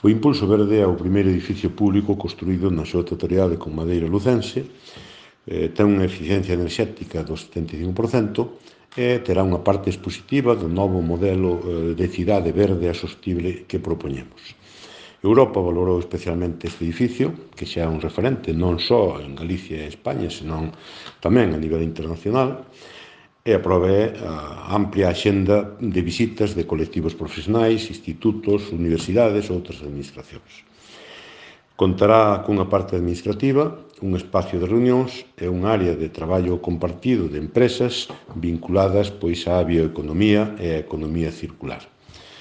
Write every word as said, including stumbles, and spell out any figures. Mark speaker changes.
Speaker 1: O Impulso Verde é o primeiro edificio público construído na súa totalidade con madeira lucense, eh, ten unha eficiencia enerxética do setenta e cinco por cento e terá unha parte expositiva do novo modelo eh, de cidade verde e sostible que propoñemos. Europa valorou especialmente este edificio, que xa é un referente non só en Galicia e España, senón tamén a nivel internacional, e a prova é a amplia axenda de visitas de colectivos profesionais, institutos, universidades ou outras administracións. Contará cunha parte administrativa, un espacio de reunións e un área de traballo compartido de empresas vinculadas pois á bioeconomía e á economía circular.